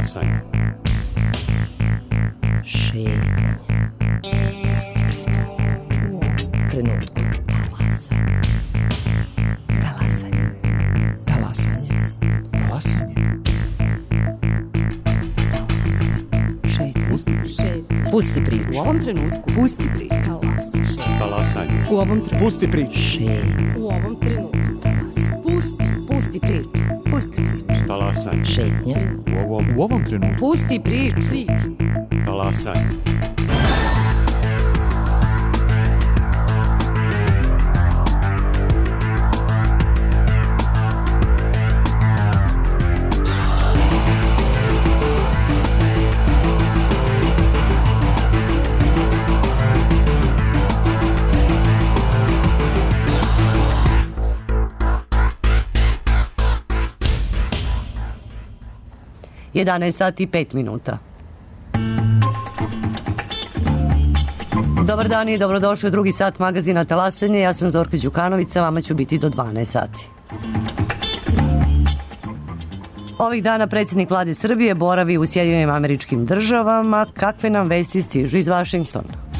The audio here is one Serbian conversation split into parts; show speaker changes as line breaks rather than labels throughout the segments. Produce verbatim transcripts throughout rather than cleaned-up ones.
Talasanje.
Šetnja. Pusti priču. U ovom trenutku. Talasanje. Talasanje. Talasanje.
Talasanje.
Šetnja.
Pusti.
Šetnja. Pusti priču.
U ovom trenutku.
Pusti priču.
Talasanje.
Talasanje.
U ovom trenutku.
Pusti priču.
Šetnja.
U ovom trenutku.
Talasanje.
Pusti.
Pusti priču. Pusti priču.
Talasanje.
Šetnja.
U ovom,
U ovom trenutku.
Pusti priču.
Priču.
talasanje.
jedanaest sati i pet minuta. Dobar dan i dobrodošli u drugi sat magazina Talasanje. Ja sam Zorka Đukanovića, vama ću biti do dvanaest sati. Ovih dana predsjednik vlade Srbije boravi u Sjedinjenim Američkim Državama. Kakve nam vesti stižu iz Vašingtona?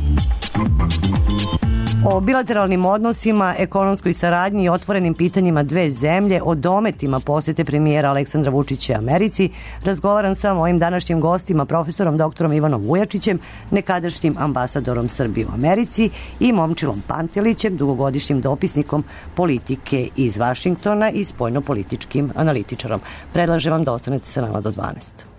O bilateralnim odnosima, ekonomskoj saradnji i otvorenim pitanjima dve zemlje, o dometima posete premijera Aleksandra Vučića Americi, razgovaram sa mojim današnjim gostima, profesorom doktorom Ivanom Vujačićem, nekadašnjim ambasadorom Srbije u Americi, i Momčilom Pantelićem, dugogodišnjim dopisnikom politike iz Vašingtona i spoljnopolitičkim analitičarom. Predlažem vam da ostanete sa nama do dvanaest.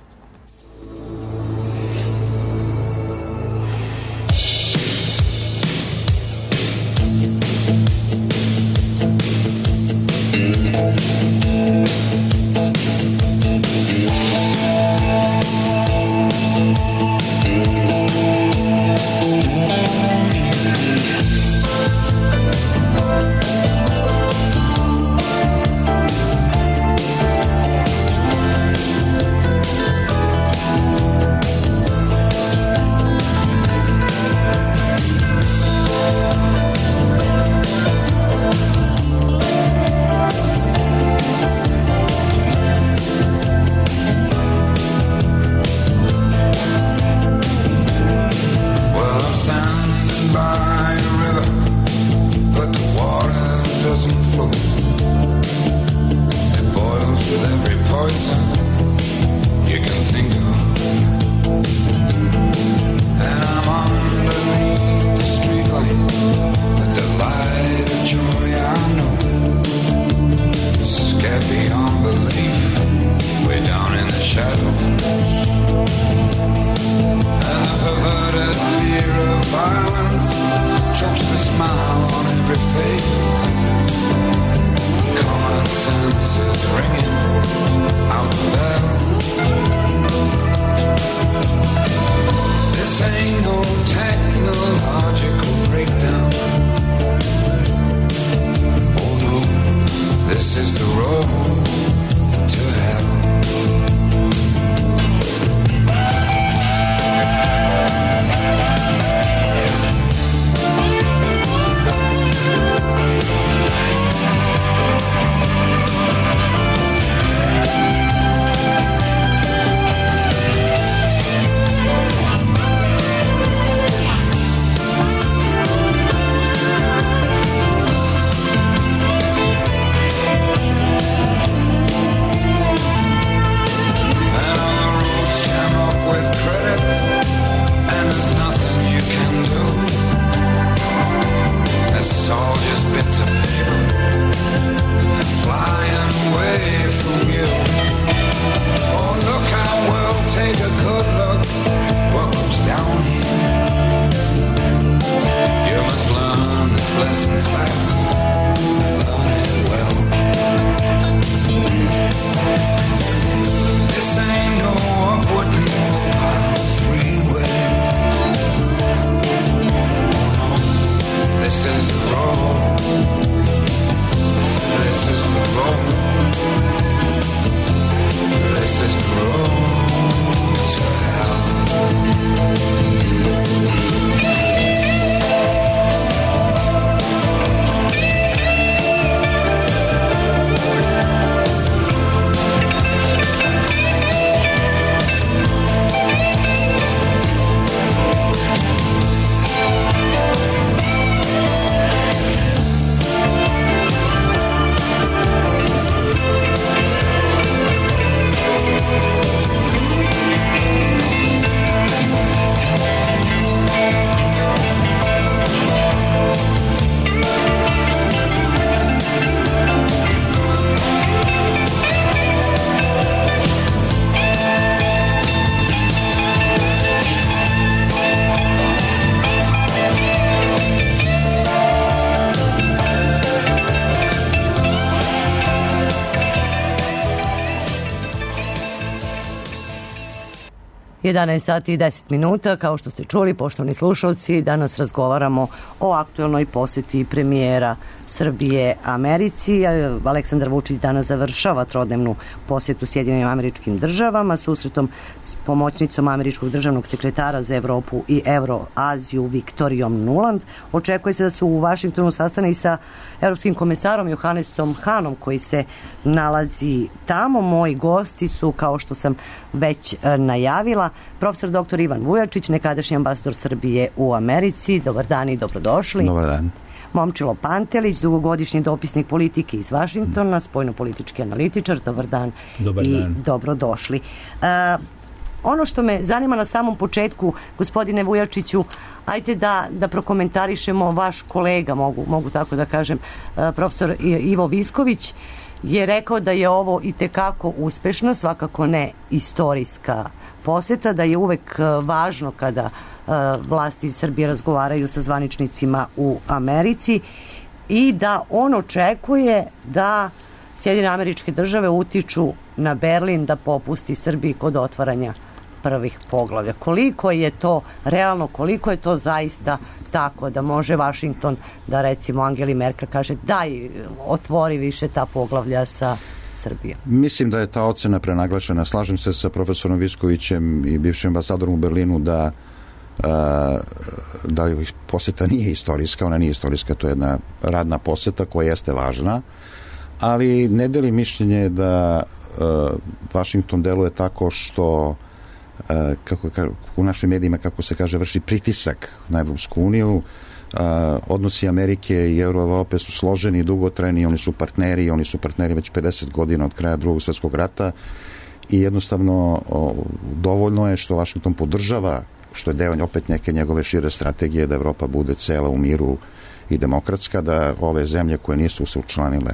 jedanaest sati i deset minuta, kao što ste čuli, poštovani slušalci, danas razgovaramo o aktuelnoj poseti premijera Srbije Americi. Aleksandar Vučić danas završava trodnevnu posjetu Sjedinjenim Američkim Državama susretom s pomoćnicom američkog državnog sekretara za Evropu i Evroaziju Viktorijom Nuland. Očekuje se da su u Vašingtonu sastane i sa evropskim komesarom Johannesom Hanom koji se nalazi tamo. Moji gosti su, kao što sam već najavila, profesor doktor Ivan Vujačić, nekadašnji ambasador Srbije u Americi. Dobar dan i dobrodošli.
Dobar dan.
Momčilo Pantelić, dugogodišnji dopisnik politike iz Vašingtona, spoljnopolitički analitičar. Dobar dan.
Dobar
i
dan.
Dobrodošli. Uh, ono što me zanima na samom početku, gospodine Vujačiću, ajte da, da prokomentarišemo vaš kolega, mogu, mogu tako da kažem, uh, profesor Ivo Visković, je rekao da je ovo itekako uspešna, svakako ne istorijska poseta, da je uvek važno kada uh, vlasti Srbije razgovaraju sa zvaničnicima u Americi i da on očekuje da Sjedinjene Američke Države utiču na Berlin da popusti Srbiji kod otvaranja prvih poglavlja. Koliko je to realno, koliko je to zaista tako da može Vašington da recimo Angeli Merkel kaže daj otvori više ta poglavlja sa Srbijom?
Mislim da je ta ocena prenaglašena. Slažem se sa profesorom Viskovićem i bivšim ambasadorom u Berlinu da da poseta nije istorijska, ona nije istorijska, to je jedna radna poseta koja jeste važna, ali ne deli mišljenje da Vašington deluje tako što kako u našim medijima, kako se kaže, vrši pritisak na Evropsku uniju. Odnosi Amerike i Europe su složeni i dugotrajni, oni su partneri, oni su partneri već pedeset godina od kraja Drugog svjetskog rata i jednostavno dovoljno je što Vašington podržava, što je deo opet neke njegove šire strategije da Evropa bude cela u miru i demokratska, da ove zemlje koje nisu se učlanile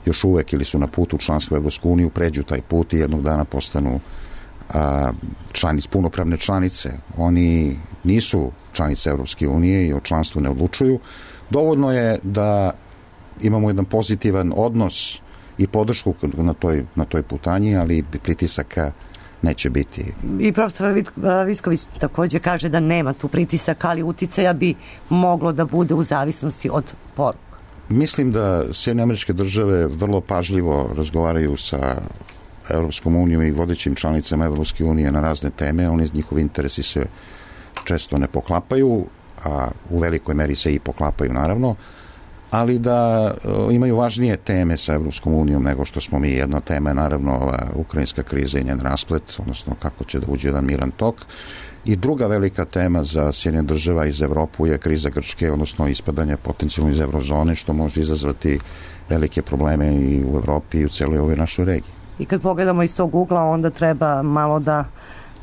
još uvek ili su na putu u članstvo u Evropsku uniju pređu taj put i jednog dana postanu a, članic, punopravne članice. Oni nisu članice Evropske unije i o članstvu ne odlučuju. Dovoljno je da imamo jedan pozitivan odnos i podršku na toj, na toj putanji, ali pritisaka neće biti.
I profesor Visković također kaže da nema tu pritisaka, ali uticaja bi moglo da bude u zavisnosti od poruka.
Mislim da Sjedinjene Američke Države vrlo pažljivo razgovaraju sa Evropskom unijom i vodećim članicama Evropske unije na razne teme. Oni, njihovi interesi se često ne poklapaju, a u velikoj meri se i poklapaju naravno, ali da imaju važnije teme sa Evropskom unijom nego što smo mi. Jedna tema je naravno ova ukrajinska kriza i njen rasplet, odnosno kako će da uđe jedan miran tok. I druga velika tema za Sjedinjene Države iz Evropu je kriza Grčke, odnosno ispadanje potencijalno iz eurozone, što može izazvati velike probleme i u Evropi i u celoj ovoj našoj regiji.
I kad pogledamo iz tog ugla, onda treba malo da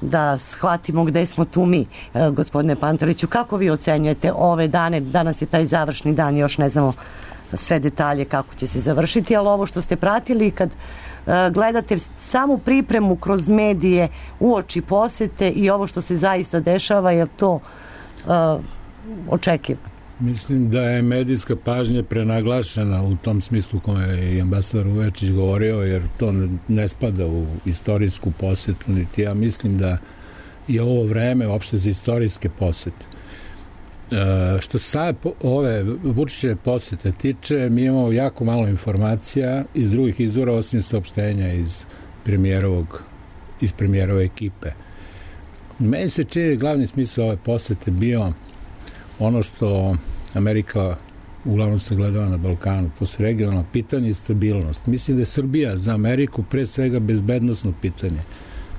da shvatimo gde smo tu mi. E, gospodine Panteliću, kako vi ocenjujete ove dane? Danas je taj završni dan, još ne znamo sve detalje kako će se završiti, ali ovo što ste pratili, kad e, gledate samu pripremu kroz medije uoči posete i ovo što se zaista dešava, je to e, očekivano?
Mislim da je medijska pažnja prenaglašena u tom smislu kome je i ambasador Vujačić govorio, jer to ne spada u istorijsku posetu, niti ja mislim da je ovo vreme uopšte za istorijske posete. E, što se sad ove Vučićeve posete tiče, mi imamo jako malo informacija iz drugih izvora, osim saopštenja iz premijerovog, iz premijerove ekipe. Meni se čini glavni smisao ove posete bio ono što Amerika uglavnom se gledava na Balkanu, to su regionalno pitanje i stabilnost. Mislim da je Srbija za Ameriku pre svega bezbednosno pitanje.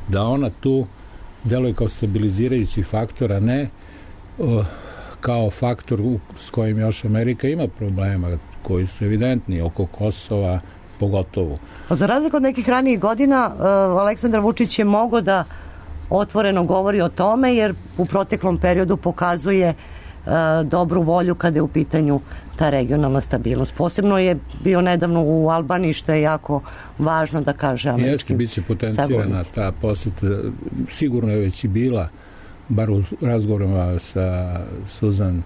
Da ona tu deluje kao stabilizirajući faktor, a ne uh, kao faktor u, s kojim još Amerika ima problema, koji su evidentni oko Kosova, pogotovo. Za
razliku od nekih ranijih godina, uh, Aleksandar Vučić je mogao da otvoreno govori o tome, jer u proteklom periodu pokazuje dobru volju kada je u pitanju ta regionalna stabilnost. Posebno je bio nedavno u Albaniji, što je jako važno da kaže američkim.
Jeste, bit će potencirana ta poseta. Sigurno je već i bila, bar u razgovorima sa Susan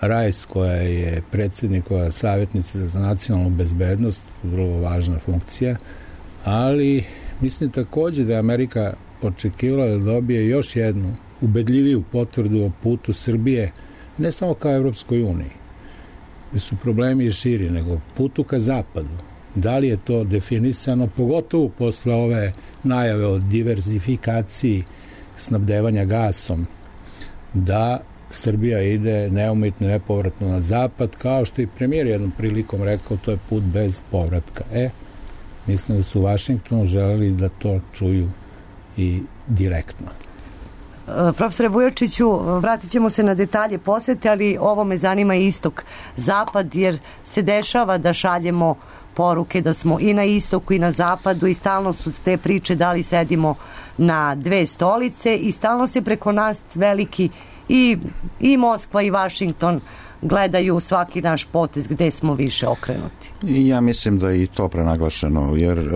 Rice, koja je predsjednikova savjetnica za nacionalnu bezbednost, vrlo važna funkcija, ali mislim također da je Amerika očekivala da dobije još jednu ubedljiviju potvrdu o putu Srbije, ne samo kao Evropskoj uniji, gde su problemi i širi, nego putu ka zapadu. Da li je to definisano, pogotovo posle ove najave o diverzifikaciji snabdevanja gasom, da Srbija ide neumitno, nepovratno na zapad, kao što i premijer jednom prilikom rekao, to je put bez povratka. E, mislim da su u Vašingtonu želeli da to čuju i direktno.
Profesore Vujočiću, vratit ćemo se na detalje posete, ali ovo me zanima istok-zapad, jer se dešava da šaljemo poruke da smo i na istoku i na zapadu i stalno su te priče da li sedimo na dve stolice i stalno se preko nas veliki i, i Moskva i Vašington gledaju svaki naš potez gde smo više okrenuti.
I ja mislim da je i to prenaglašeno, jer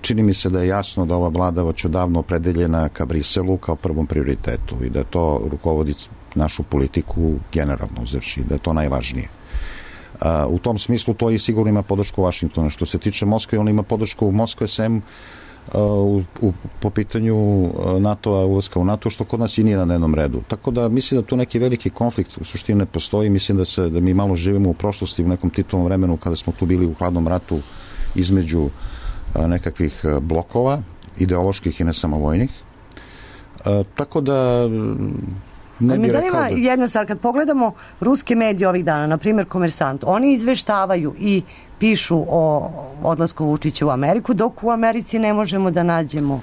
čini mi se da je jasno da ova vlada već odavno opredeljena ka Briselu kao prvom prioritetu i da to rukovodi našu politiku generalno uzevši, da je to najvažnije. U tom smislu to i sigurno ima podršku Vašingtona. Što se tiče Moskve, on ima podršku Moskve sem U, u, po pitanju NATO-a, ulaska u NATO, što kod nas i nije na dnevnom redu. Tako da mislim da tu neki veliki konflikt u suštini ne postoji. Mislim da se da mi malo živimo u prošlosti, u nekom titulnom vremenu kada smo tu bili u hladnom ratu između a, nekakvih blokova, ideoloških i ne samo vojnih. A, tako da ne
me
bih
zanima
rekao da...
jedna stvar, kad pogledamo ruske medije ovih dana, na primjer Komersant, oni izveštavaju i pišu o odlasku Vučića u Ameriku, dok u Americi ne možemo da nađemo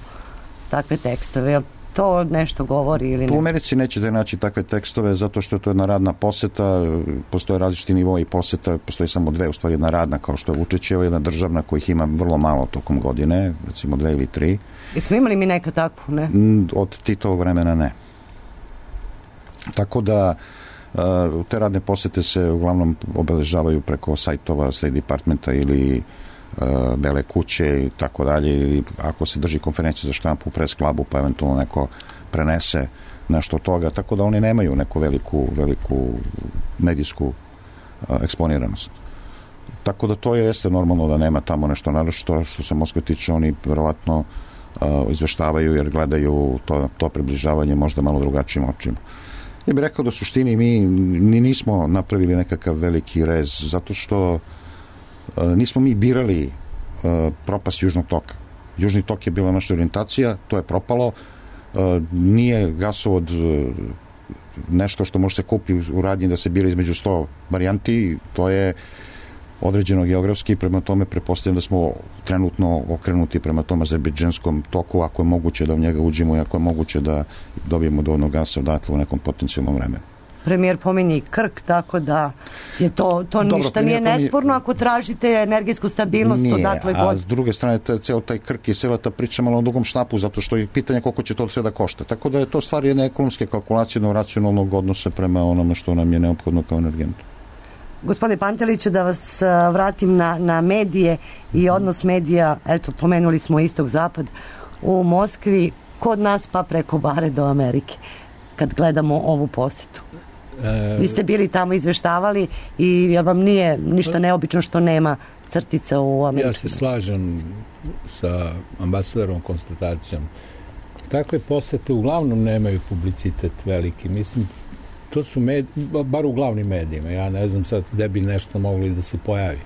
takve tekstove. Jel to nešto govori ili ne?
U Americi nećete naći takve tekstove zato što je to jedna radna poseta, postoje različiti nivoi poseta, postoji samo dve, u stvari jedna radna kao što je Vučićeva, jedna državna kojih ima vrlo malo tokom godine, recimo dve ili tri.
Jesmo imali mi neka takvu, ne?
Od Titovog vremena ne. Tako da uh, te radne posete se uglavnom obeležavaju preko sajtova State Departmenta ili uh, Bele kuće i tako dalje, ili ako se drži konferencija za štampu u press klubu pa eventualno neko prenese nešto od toga, tako da oni nemaju neku veliku, veliku medijsku uh, eksponiranost. Tako da to je jeste normalno da nema tamo nešto naročito. Što se Moskve tiče, oni verovatno uh, izveštavaju jer gledaju to, to približavanje možda malo drugačijim očima. Ja bih rekao da u suštini mi ni nismo napravili nekakav veliki rez, zato što uh, nismo mi birali uh, propast Južnog toka. Južni tok je bila naša orijentacija, to je propalo. Uh, nije gasovod uh, nešto što može se kupi u radnji da se bira između sto varijanti, to je određeno geografski, prema tome prepostavljam da smo trenutno okrenuti prema tom azerbejdžanskom toku, ako je moguće da u njega uđemo i ako je moguće da dobijemo dovoljno gasa odatle u nekom potencijalnom vremenu.
Premijer pominje Krk, tako da je to, to
Dobro,
ništa nije
pominje...
nesporno ako tražite energetsku stabilnost.
Nije,
odakle
a
god...
s druge strane taj, ceo taj Krk i cela ta priča malo na dugom štapu, zato što je pitanje koliko će to sve da košta. Tako da je to stvar jedne ekonomske kalkulacije na racionalnog odnosa prema onome što nam je neophodno kao energentu.
Gospodine Panteliću, da vas vratim na, na medije i odnos medija, eto, pomenuli smo istok-zapad u Moskvi, kod nas pa preko bare do Amerike, kad gledamo ovu posetu. E... Vi ste bili tamo, izveštavali i vam nije ništa neobično što nema crtica u Americi.
Ja se slažem sa ambasadorom konstatacijom. Takve posete uglavnom nemaju publicitet veliki, mislim. To su med, bar u glavnim medijima, ja ne znam sad gde bi nešto mogli da se pojavi.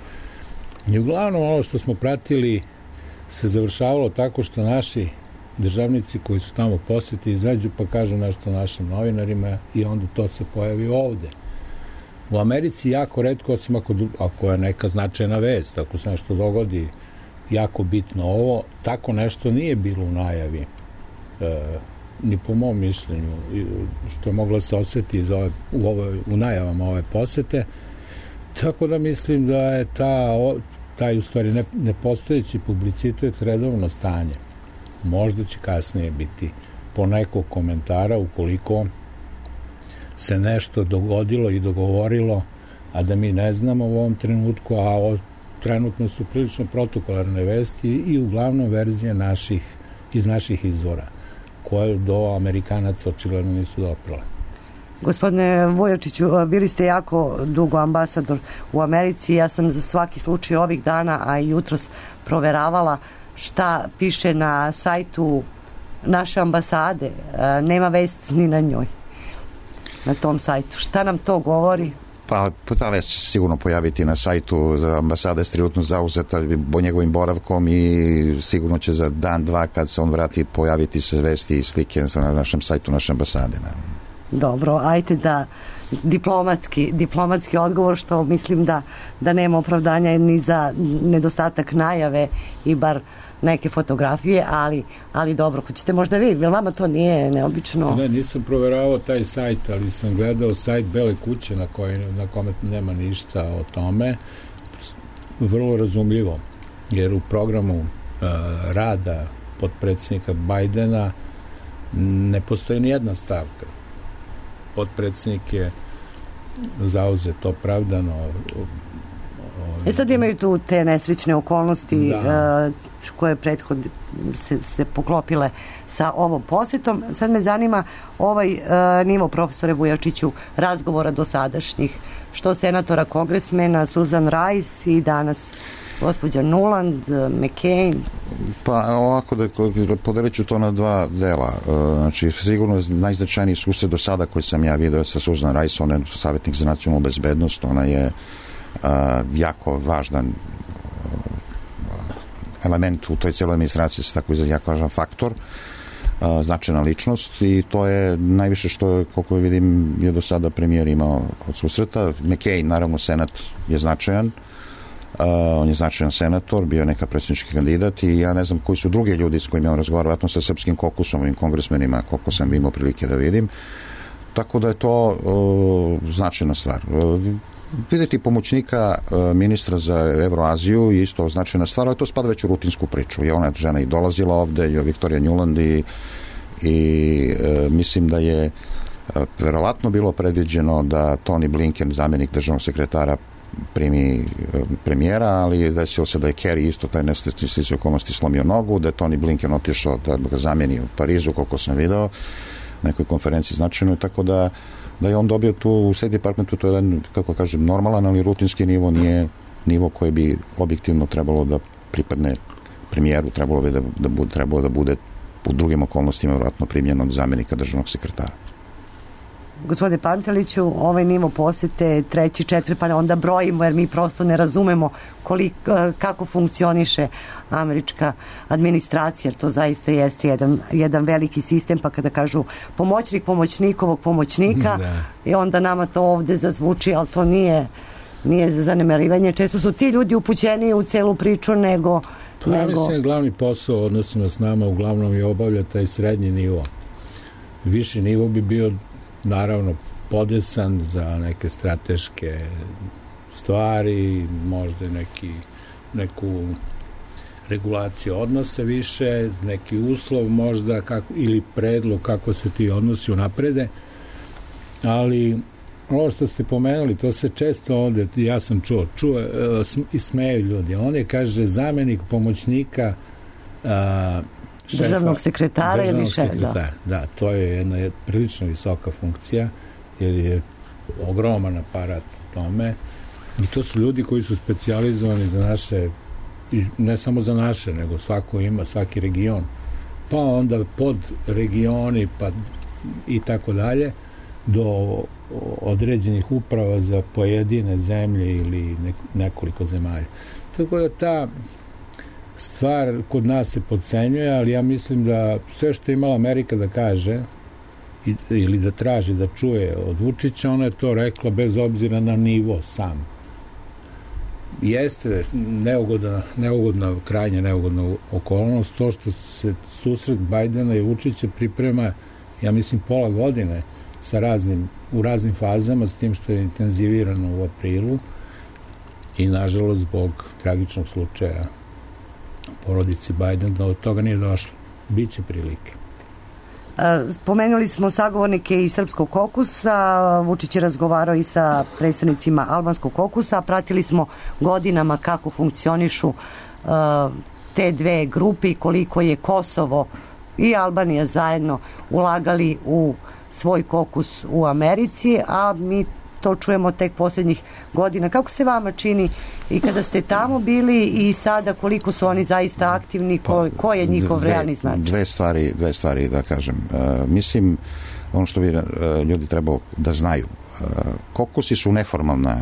I uglavnom ono što smo pratili se završavalo tako što naši državnici koji su tamo poseti izađu pa kažu nešto našim novinarima i onda to se pojavi ovde. U Americi jako retko, osim ako, ako je neka značajna vest, ako se nešto dogodi jako bitno ovo, tako nešto nije bilo u najavi. E, ni po mom mišljenju, što je moglo se osjeti iz ove, u, ove, u najavama ove posete. Tako da mislim da je ta, taj u stvari ne, nepostojeći publicitet redovno stanje. Možda će kasnije biti po nekog komentara ukoliko se nešto dogodilo i dogovorilo, a da mi ne znamo u ovom trenutku, a o, trenutno su prilično protokolarne vesti i uglavnom verzije naših, iz naših izvora, koje do Amerikanaca očigledno nisu doprale.
Gospodine Vujočiću, bili ste jako dugo ambasador u Americi. Ja sam za svaki slučaj ovih dana, a i jutros proveravala šta piše na sajtu naše ambasade, nema vesti ni na njoj, na tom sajtu. Šta nam to govori?
Pa ta vest će se sigurno pojaviti na sajtu, ambasada je trenutno zauzeta po njegovim boravkom i sigurno će za dan, dva kad se on vrati pojaviti se vesti i slike na našem sajtu naše ambasade.
Dobro, ajte da diplomatski, diplomatski odgovor, što mislim da, da nema opravdanja ni za nedostatak najave i bar neke fotografije, ali, ali dobro, hoćete možda vi, jer vama to nije neobično?
Ne, nisam proveravao taj sajt, ali sam gledao sajt Bele kuće na, koj, na kome nema ništa o tome. Vrlo razumljivo, jer u programu uh, rada potpredsjednika Bajdena ne postoji ni jedna stavka. Potpredsjednik je zauzet, opravdano.
E sad imaju tu te nesrećne okolnosti
da.
uh, koje prethod se, se poklopile sa ovom posjetom. Sad me zanima ovaj uh, nivo, profesore Vujačiću, razgovora dosadašnjih, što senatora, kongresmena Susan Rice i danas gospođa Nuland, McCain.
Pa ovako da podelit ću to na dva dela. Znači sigurno najznačajniji susret do sada koji sam ja vidio sa Susan Rice, ona je savjetnik za nacionalnu bezbednost, ona je uh, jako važan element u toj cijeloj administraciji, se tako izgleda, jako važan faktor, uh, značajna ličnost i to je najviše što je, koliko vidim, je do sada premijer imao od susreta. McCain, naravno, senat je značajan. Uh, on je značajan senator, bio neka predsjednički kandidat i ja ne znam koji su drugi ljudi s kojima on razgovara, vjerojatno sa srpskim kokusom, ovim kongresmenima, koliko sam imao prilike da vidim. Tako da je to uh, značajna stvar. Uh, vidjeti pomoćnika uh, ministra za Evroaziju je isto značajna stvar, ali to spada već u rutinsku priču. I ona žena i dolazila ovde, i Viktorija Nuland i, i uh, mislim da je uh, verovatno bilo predviđeno da Tony Blinken, zamjenik državnog sekretara, primi premijera, ali desilo se da je Kerry isto taj nesrećni okolnosti slomio nogu, da je Tony Blinken otišao da ga zamijeni u Parizu, koliko sam video, nekoj konferenciji značajnoj, tako da, da je on dobio tu u State Departmentu, to je jedan, kako kažem, normalan, ali rutinski nivo, nije nivo koji bi objektivno trebalo da pripadne premijeru, trebalo bi da, da, bude, trebalo da bude u drugim okolnostima vjerojatno primljen od zamjenika državnog sekretara.
Gospodine Panteliću, ovaj nivo posjete, treći, četiri, pa onda brojimo, jer mi prosto ne razumemo koliko, kako funkcioniše američka administracija, jer to zaista jeste jedan, jedan veliki sistem, pa kada kažu pomoćnik pomoćnikovog pomoćnika, da. I onda nama to ovde zazvuči, ali to nije, nije za zanemarivanje. Često su ti ljudi upućeni u celu priču nego...
Pa
nego...
mislim, glavni posao u odnosima s nama uglavnom je obavlja taj srednji nivo. Viši nivo bi bio naravno podesan za neke strateške stvari, možda neki, neku regulaciju odnosa više, neki uslov možda kako, ili predlog kako se ti odnosi unaprede, ali ovo što ste pomenuli, to se često ovde, ja sam čuo, čuo i smeju ljudi, on je, kaže, zamjenik pomoćnika a, šefa,
državnog sekretara
državnog
ili šefa,
sekretara. Da. da, to je jedna prilično visoka funkcija, jer je ogroman aparat u tome i to su ljudi koji su specijalizovani za naše, ne samo za naše, nego svako ima, svaki region, pa onda pod regioni, pa i tako dalje, do određenih uprava za pojedine zemlje ili nekoliko zemalja. Tako da ta stvar kod nas se podcenjuje, ali ja mislim da sve što je imala Amerika da kaže i, ili da traži da čuje od Vučića, ona je to rekla bez obzira na nivo sam. Jeste neugodna, neugodna, krajnje neugodna okolnost to što se susret Bajdena i Vučića priprema, ja mislim, pola godine sa raznim, u raznim fazama, s tim što je intenzivirano u aprilu i nažalost zbog tragičnog slučaja porodici Biden, da od toga nije došlo. Biće prilike.
Spomenuli smo sagovornike iz Srpskog kokusa, Vučić je razgovarao i sa predstavnicima Albanskog kokusa, pratili smo godinama kako funkcionišu uh, te dve grupe i koliko je Kosovo i Albanija zajedno ulagali u svoj kokus u Americi, a mi to čujemo tek posljednjih godina. Kako se vama čini i kada ste tamo bili i sada koliko su oni zaista aktivni, ko, ko je njihov
dve,
realni značaj?
Dve stvari, dve stvari da kažem. Uh, mislim, ono što bi uh, ljudi trebalo da znaju, uh, kokusi su neformalna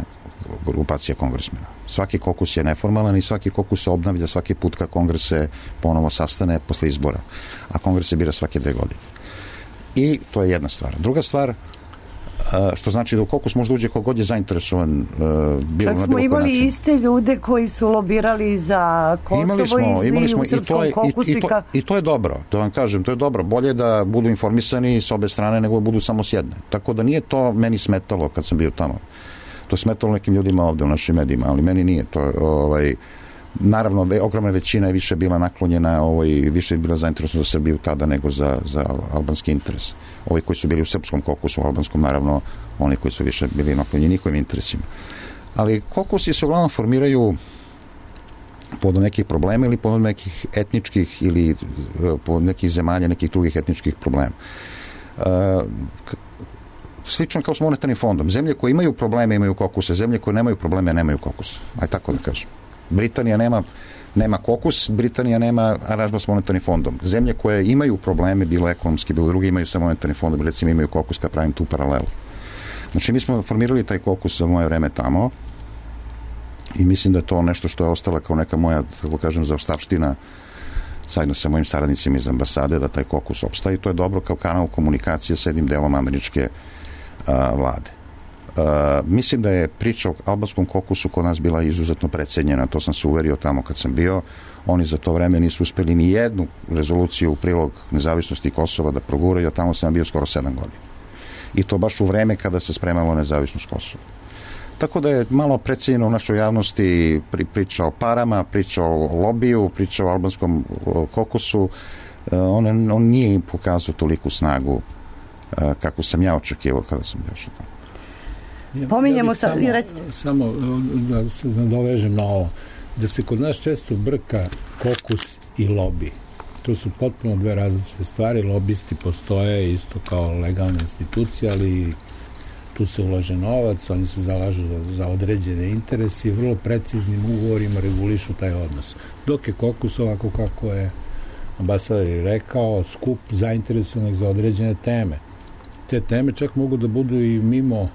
grupacija kongresmena. Svaki kokus je neformalan i svaki kokus se obnavlja svaki put kad kongres se ponovo sastane posle izbora. A kongres se bira svake dve godine. I to je jedna stvar. Druga stvar, što znači da u kokus možda uđe kogod je zainteresovan bilo
Čak
na
smo
bilo
imali
način.
iste ljude koji su lobirali za Kosovo
imali smo,
i,
imali smo,
u
i to
srpskom
je,
kokusu
i, i, to,
ka...
i to je dobro, to vam kažem, to je dobro. Bolje da budu informisani s obe strane nego da budu samo s jedne. Tako da nije to meni smetalo kad sam bio tamo. To smetalo nekim ljudima ovde u našim medijima, ali meni nije. To, ovaj, naravno, ogromna većina je više bila naklonjena, ovaj, više je bila zainteresovana za Srbiju tada nego za, za albanski interes. Ovi koji su bili u srpskom kokusu, u albanskom, naravno, oni koji su više bili naklonjeni njihovim interesima. Ali kokusi se uglavnom formiraju pod nekih problema ili pod nekih etničkih ili pod nekih zemalja, nekih drugih etničkih problema. Uh, slično kao s monetarnim fondom. Zemlje koje imaju probleme imaju kokuse, zemlje koje nemaju probleme nemaju kokuse. Aj tako da kažem. Britanija nema, nema kokus, Britanija nema aranžman s monetarnim fondom. Zemlje koje imaju probleme, bilo ekonomski, bilo drugi, imaju sa monetarnim fondom, recimo imaju kokus kad pravim tu paralelu. Znači mi smo formirali taj kokus za moje vreme tamo i mislim da je to nešto što je ostala kao neka moja, tako kažem, zaostavština zajedno sa mojim saradnicima iz ambasade da taj kokus opstaje i to je dobro kao kanal komunikacije s jednim delom američke a, vlade. A, mislim da je priča o albanskom kokusu kod nas bila izuzetno precenjena, to sam se uverio tamo kad sam bio. Oni za to vreme nisu uspeli ni jednu rezoluciju u prilog nezavisnosti Kosova da proguraju, a tamo sam bio skoro sedam godina. I to baš u vreme kada se spremalo nezavisnost Kosova. Tako da je malo precenjeno u našoj javnosti pri, priča o parama, priča o lobiju, priča o albanskom kokusu. On, on nije im pokazao toliku snagu kako sam ja očekivao kada sam bio što tamo.
Ja, Pominjemo
ja
sa...
Samo, samo da se nadovežem na ovo. Da se kod nas često brka kokus i lobi. To su potpuno dve različite stvari. Lobisti postoje isto kao legalne institucije, ali tu se ulaže novac, oni se zalažu za, za određene interese i vrlo preciznim ugovorima regulišu taj odnos. Dok je kokus, ovako kako je ambasador i rekao, skup zainteresovanih za određene teme. Te teme čak mogu da budu i mimo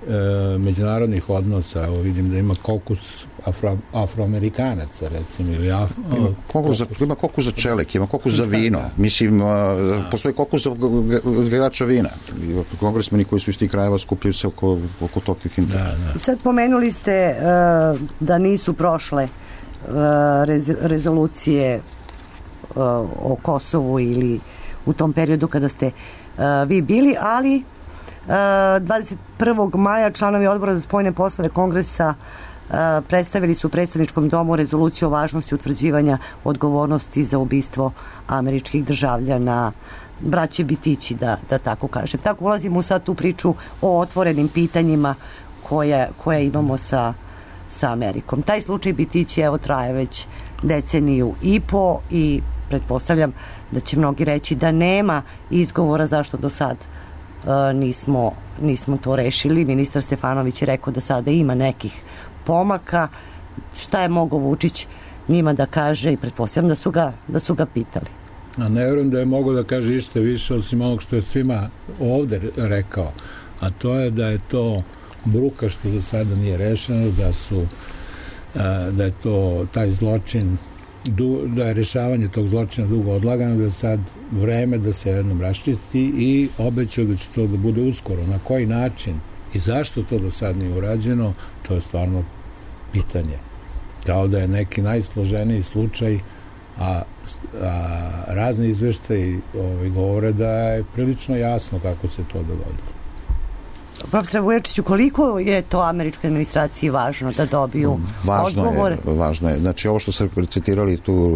e, međunarodnih odnosa. Evo vidim da ima kokus afro, afroamerikanaca, recimo, ili af,
ima, kokus za, ima kokus za čelek, ima kokus za vino. Mislim, a, postoji kokus za uzgajivača vina. Kongresmeni koji su iz tih krajeva skupljaju se oko, oko tokih interesa.
Da, da. Sad pomenuli ste uh, da nisu prošle uh, rez, rezolucije uh, o Kosovu ili u tom periodu kada ste uh, vi bili, ali dvadeset prvog maja članovi odbora za spoljne poslove Kongresa uh, predstavili su u predstavničkom domu rezoluciju o važnosti utvrđivanja odgovornosti za ubistvo američkih državljana, braće Bitići, da, da tako kažem. Tako ulazimo sad tu priču o otvorenim pitanjima koje, koje imamo sa, sa Amerikom. Taj slučaj Bitići evo traje već deceniju i po i pretpostavljam da će mnogi reći da nema izgovora zašto do sad Uh, nismo, nismo to rešili. Ministar Stefanović je rekao da sada ima nekih pomaka. Šta je mogao Vučić njima da kaže i pretpostavljam da su ga, da su ga pitali.
A ne vjerujem da je mogao da kaže ište više osim onog što je svima ovde rekao, a to je da je to bruka što do sada nije rešeno, da su uh, da je to taj zločin da je rešavanje tog zločina dugo odlagano, da je sad vreme da se jednom raščisti i obećao da će to da bude uskoro. Na koji način i zašto to do sad nije urađeno, to je stvarno pitanje. Kao da je neki najsloženiji slučaj, a, a razni izveštaji ovaj, govore da je prilično jasno kako se to dogodilo.
Profesor Vujačiću, koliko je to američkoj administraciji važno da dobiju
važno
odgovore?
Je, važno je. Znači, ovo što ste citirali tu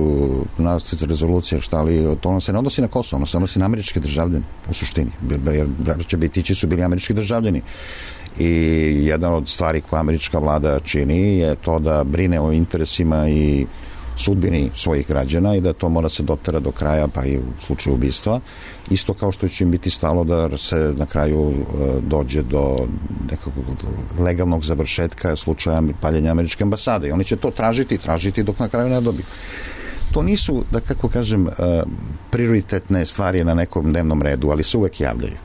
nacrt rezolucije, šta li, to ono se ne odnosi na Kosovo, ono se odnosi na američke državljane, u suštini. Jer braća Bitići su bili američki državljani. I jedna od stvari koja američka vlada čini je to da brine o interesima i sudbini svojih građana i da to mora se dotera do kraja, pa i u slučaju ubistva. Isto kao što će im biti stalo da se na kraju dođe do nekog legalnog završetka slučaja paljenja američke ambasade. I oni će to tražiti i tražiti dok na kraju ne dobiju. To nisu, da kako kažem, prioritetne stvari na nekom dnevnom redu, ali se uvek javljaju.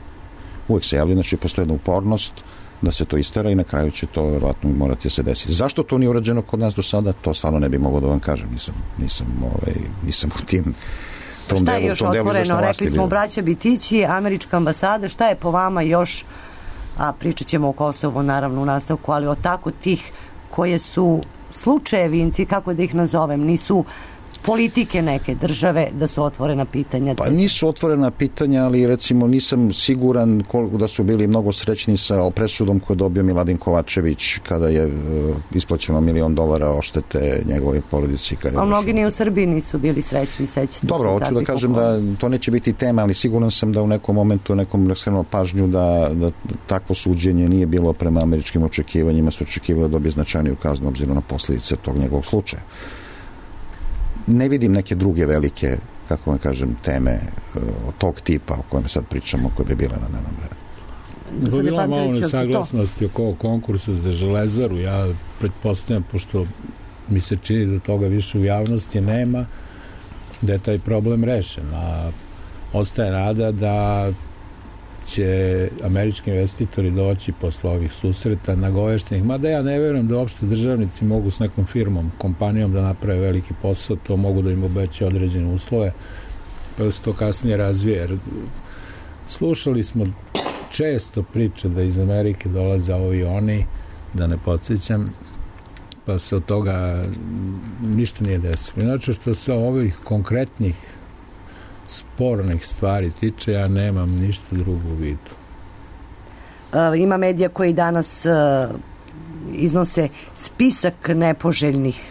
Uvek se javljaju, znači postoji jedna upornost da se to istera i na kraju će to verovatno morati da se desiti. Zašto to nije urađeno kod nas do sada, to stvarno ne bi mogao da vam kažem. Nisam, nisam, ovaj, nisam u tim tom
šta
delu,
je još
tom delu
otvoreno? Rekli smo braća Bitići, američka ambasada, šta je po vama još, a pričat ćemo o Kosovu naravno u nastavku, ali o tako tih koje su slučajevinci, kako da ih nazovem, nisu politike neke države da su otvorena pitanja?
Pa nisu otvorena pitanja, ali recimo nisam siguran koliko da su bili mnogo srećni sa presudom koju je dobio Miladin Kovačević kada je uh, isplaćeno milion dolara oštete njegove porodici. Kada
a mnogi ni u Srbiji nisu bili srećni, sećate.
Dobro, hoću da kažem da to neće biti tema, ali siguran sam da u nekom momentu, nekom skrenuo pažnju da, da takvo suđenje nije bilo prema američkim očekivanjima, su očekivali da dobije značajniju kaznu obzirom na posljedice tog njegovog slučaja. Ne vidim neke druge velike, kako vam kažem, teme od tog tipa o kojem sad pričamo, koje bi bile na dnevnom redu.
To je bila malo nesaglasnosti oko ovog konkursa za Železaru. Ja pretpostavljam, pošto mi se čini da toga više u javnosti nema, da je taj problem rešen. A ostaje nada da će američki investitori doći posle ovih susreta nagoveštenih, mada ja ne verujem da uopšte državnici mogu s nekom firmom, kompanijom da naprave veliki posao, to mogu da im obeće određene uslove, pa da se to kasnije razvije. Jer slušali smo često priče da iz Amerike dolaze ovi oni, da ne podsjećam, pa se od toga ništa nije desilo. Inače, što se ovih konkretnih spornih stvari tiče, ja nemam ništa drugo u vidu.
E, ima medija koji danas e, iznose spisak nepoželjnih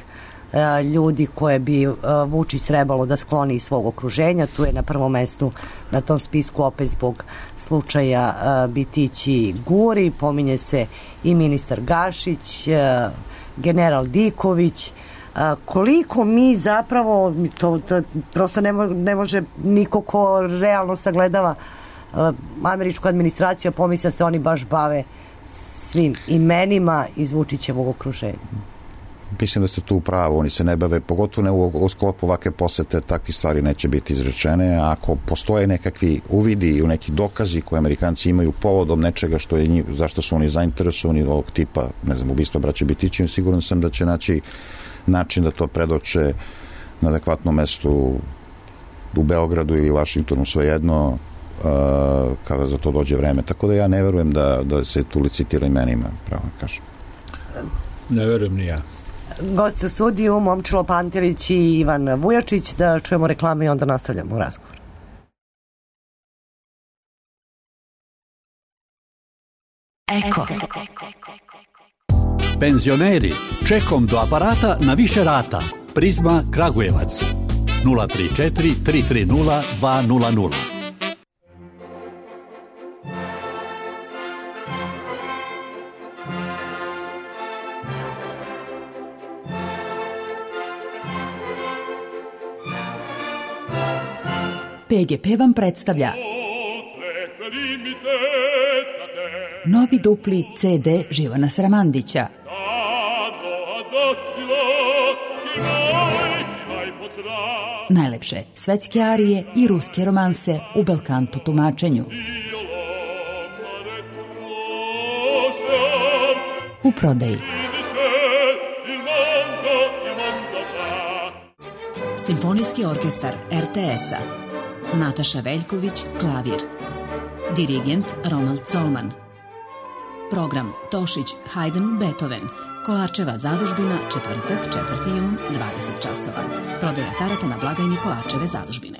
e, ljudi koje bi e, Vučić trebalo da skloni iz svog okruženja. Tu je na prvom mestu na tom spisku opet zbog slučaja e, Bitići Guri, pominje se i ministar Gašić, e, general Diković. A, koliko mi zapravo to, to prosto ne, mo, ne može niko ko realno sagledava a, američku administraciju, a pomisля se oni baš bave svim imenima iz Vučićevog okruženja.
Mislim da ste tu u pravu, oni se ne bave, pogotovo ne u, u sklopu ovake posete, takve stvari neće biti izrečene. Ako postoje nekakvi uvidi i neki dokazi koje Amerikanci imaju povodom nečega što je njih, zašto su oni zainteresovani ovog tipa, ne znam, ubistva braće Bitići, siguran sam da će naći način da to predoče na adekvatnom mestu u Beogradu ili Vašingtonu, svejedno, uh, kada za to dođe vreme. Tako da ja ne verujem da, da se tu licitira imenima, pravo kažem.
Ne verujem ni ja.
Gost u studiju, Momčilo Pantelić i Ivan Vujačić, da čujemo reklame i onda nastavljamo razgovor.
Eko.
Penzioneri, čekom do aparata na više rata. Prizma Kragujevac. nula tri četiri tri tri nula dva nula nula.
P G P vam predstavlja novi dupli C D Živana Sramandića. Najlepše svetske arije i ruske romanse u belkanto tumačenju. U prodaji.
Simfonijski orkestar R T S-a. Nataša Veljković, klavir. Dirigent Ronald Colman. Program Tošić, Haydn, Beethoven. Kolarčeva zadužbina, četvrtak, četvrti jun, dvadeset časova. Prodaja karata na blagajni Kolarčeve zadužbine.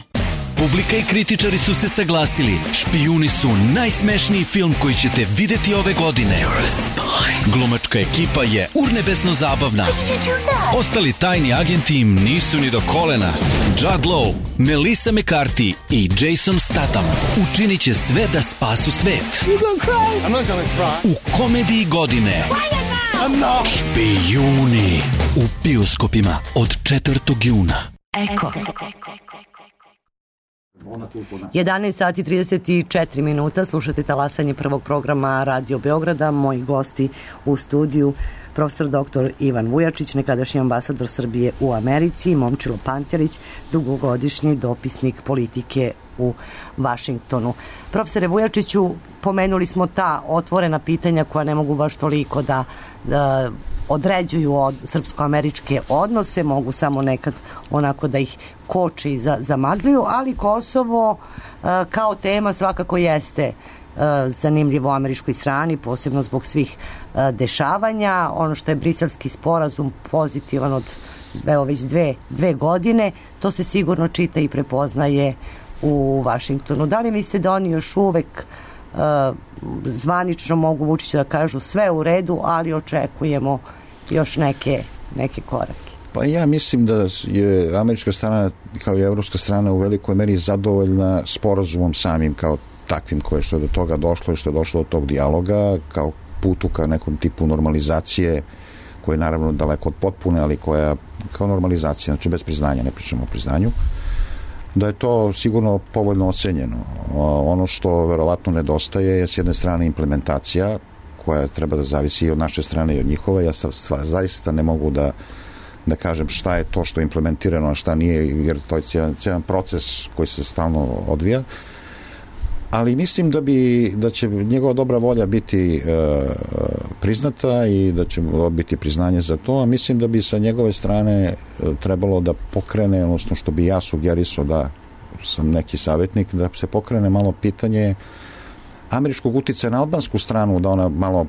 Publika i kritičari su se saglasili. Špijuni su najsmešniji film koji ćete videti ove godine. Glumačka ekipa je urnebesno zabavna. Ostali tajni agenti im nisu ni do kolena. Judd Law, Melissa McCarthy i Jason Statham učinit će sve da spasu svet. U komediji godine Špijuni u bioskopima od četvrtog juna.
Eko.
jedanaest sati trideset četiri minuta, slušate talasanje prvog programa Radio Beograda. Moji gosti u studiju: profesor doktor Ivan Vujačić, nekadašnji ambasador Srbije u Americi, i Momčilo Pantelić, dugogodišnji dopisnik politike u Vašingtonu. Profesore Vujačiću, pomenuli smo ta otvorena pitanja koja ne mogu baš toliko da, da određuju od srpsko-američke odnose, mogu samo nekad onako da ih koči i za, zamagljuju, ali Kosovo e, kao tema svakako jeste e, zanimljivo američkoj strani, posebno zbog svih e, dešavanja. Ono što je briselski sporazum pozitivan od evo već dve, dve godine, to se sigurno čita i prepoznaje u Vašingtonu. Da li mislite da oni još uvek uh, zvanično mogu Vučiću da kažu sve u redu, ali očekujemo još neke, neke korake?
Pa ja mislim da je američka strana kao i evropska strana u velikoj meri zadovoljna sporazumom samim kao takvim koje što je do toga došlo i što je došlo do tog dijaloga kao putu ka nekom tipu normalizacije koja je naravno daleko od potpune, ali koja kao normalizacija, znači bez priznanja, ne pričamo o priznanju, da je to sigurno povoljno ocenjeno. Ono što verovatno nedostaje je s jedne strane implementacija koja treba da zavisi i od naše strane i od njihove. Ja sam zaista ne mogu da da kažem šta je to što je implementirano, a šta nije, jer to je cijelen proces koji se stalno odvija. Ali mislim da bi da će njegova dobra volja biti e, priznata i da će dobiti priznanje za to, a mislim da bi sa njegove strane e, trebalo da pokrene, odnosno što bi ja sugerisao da sam neki savjetnik, da se pokrene malo pitanje američkog uticaja na albansku stranu, da ona malo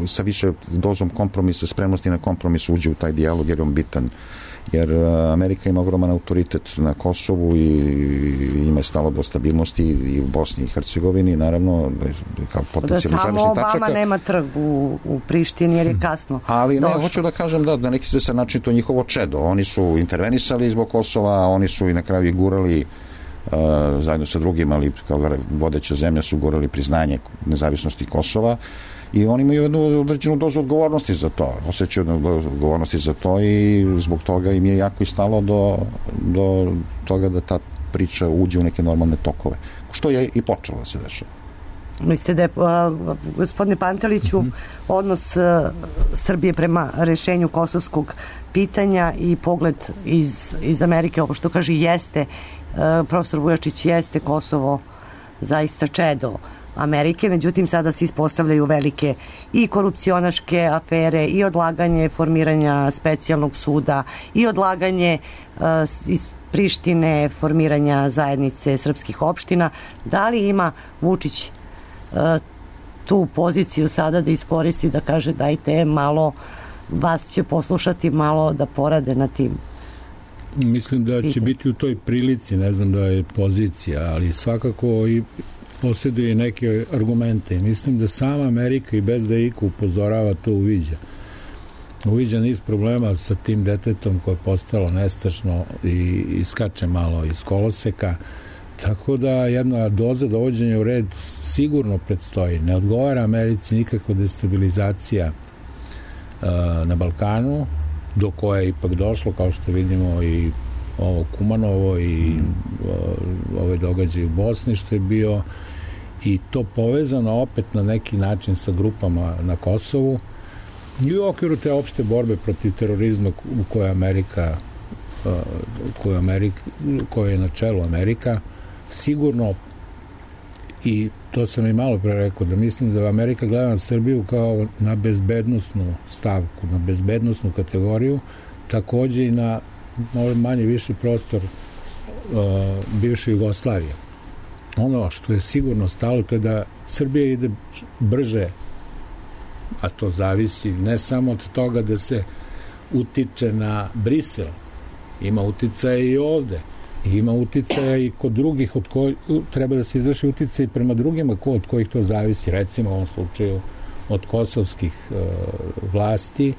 sa više dozom kompromisa, spremnosti na kompromis uđe u taj dijalog jer je on bitan. Jer Amerika ima ogroman autoritet na Kosovu i ima je stalo do stabilnosti i u Bosni i Hercegovini, naravno kao potencijalni
da samo Obama tačaka. Nema trg u, u Prištini jer je kasno
ali ne,
došlo. Hoću
da kažem da na neki sve način to njihovo čedo, oni su intervenisali zbog Kosova, oni su i na kraju i gurali uh, zajedno sa drugim, ali kao vodeća zemlja su gurali priznanje nezavisnosti Kosova. I oni imaju jednu određenu dozu odgovornosti za to, osjećaju odgovornosti za to i zbog toga im je jako i stalo do, do toga da ta priča uđe u neke normalne tokove, što je i počelo da se dešava.
Mislite da je, uh, gospodine Panteliću, mm-hmm. odnos uh, Srbije prema rešenju kosovskog pitanja i pogled iz, iz Amerike, ovo što kaže jeste, uh, profesor Vujačić, jeste Kosovo zaista čedo Amerike, međutim sada se ispostavljaju velike i korupcionaške afere i odlaganje formiranja specijalnog suda i odlaganje uh, iz Prištine formiranja zajednice srpskih opština. Da li ima Vučić uh, tu poziciju sada da iskoristi, da kaže dajte malo, vas će poslušati malo da porade na tim?
Mislim da će
Pite.
biti u toj prilici, ne znam da je pozicija, ali svakako i posjeduje neke argumente. Mislim da sama Amerika i bez da iko upozorava to uviđa. Uviđa niz problema sa tim detetom koje je postalo nestašno i iskače malo iz koloseka. Tako da jedna doza dovođenja u red sigurno predstoji. Ne odgovara Americi nikakva destabilizacija uh, na Balkanu, do koje je ipak došlo, kao što vidimo i ovo Kumanovo i uh, ove događaje u Bosni što je bio, i to povezano opet na neki način sa grupama na Kosovu i u okviru te opšte borbe protiv terorizma u kojoj Amerika uh, koju Amerika, koje je na čelu Amerika, sigurno, i to sam i malo pre rekao, da mislim da Amerika gleda na Srbiju kao na bezbednosnu stavku, na bezbednosnu kategoriju, takođe i na manje viši prostor uh, bivše Jugoslavije. Ono što je sigurno stalo, to je da Srbija ide brže, a to zavisi ne samo od toga da se utiče na Brisel, ima uticaja i ovde, i ima uticaja i kod drugih, od koji treba da se izvrši uticaj prema drugima od kojih to zavisi, recimo u ovom slučaju od kosovskih uh, vlasti,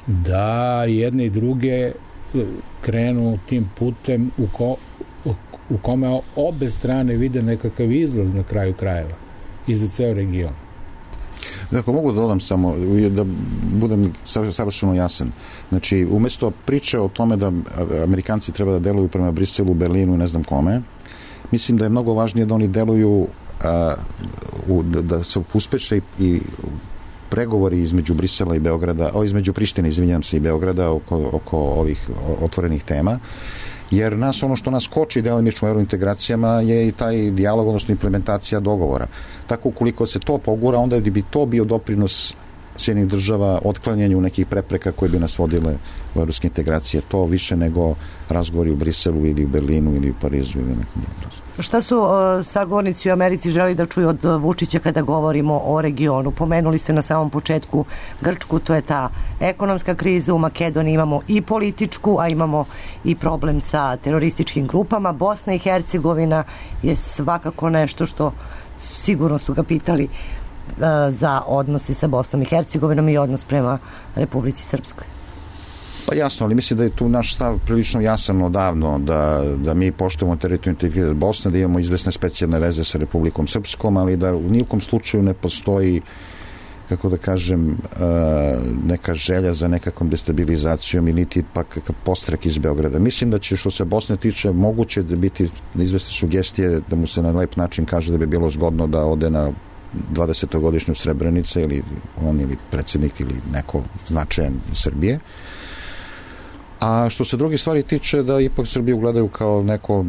da jedne i druge krenu tim putem u, ko, u kome obe strane vide nekakav izlaz na kraju krajeva i za ceo region.
Ako mogu da dodam samo, da budem savršeno jasan. Znači, umesto priče o tome da Amerikanci treba da deluju prema Briselu, Berlinu i ne znam kome, mislim da je mnogo važnije da oni deluju a, u, da, da se uspeše i, i pregovori između Brisela i Beograda, o, između Prištine, izvinjam se, i Beograda oko, oko ovih otvorenih tema, jer nas, ono što nas koči delimično u eurointegracijama je i taj dijalog, odnosno implementacija dogovora. Tako ukoliko se to pogura, onda bi to bio doprinos Sjedinjenih država otklanjanju nekih prepreka koje bi nas vodile u evropske integracije. To više nego razgovori u Briselu ili u Berlinu ili u Parizu ili nekom drugom.
Šta su uh, sagovornici u Americi želi da čuju od Vučića kada govorimo o regionu? Pomenuli ste na samom početku Grčku, to je ta ekonomska kriza. U Makedoniji imamo i političku, a imamo i problem sa terorističkim grupama. Bosna i Hercegovina je svakako nešto što sigurno su ga pitali uh, za odnose sa Bosnom i Hercegovinom i odnos prema Republici Srpskoj.
Pa jasno, ali mislim da je tu naš stav prilično jasan odavno, da, da mi poštujemo teritorijalni integritet Bosne, da imamo izvesne specijalne veze sa Republikom Srpskom, ali da u nijekom slučaju ne postoji, kako da kažem, neka želja za nekakvom destabilizacijom i niti pak kakav postrek iz Beograda. Mislim da će, što se Bosne tiče, moguće da biti izvesne sugestije da mu se na lep način kaže da bi bilo zgodno da ode na dvadesetogodišnju Srebrenice ili on ili predsjednik ili neko značajan iz Srbije. A što se drugi stvari tiče, da ipak Srbiju gledaju kao neku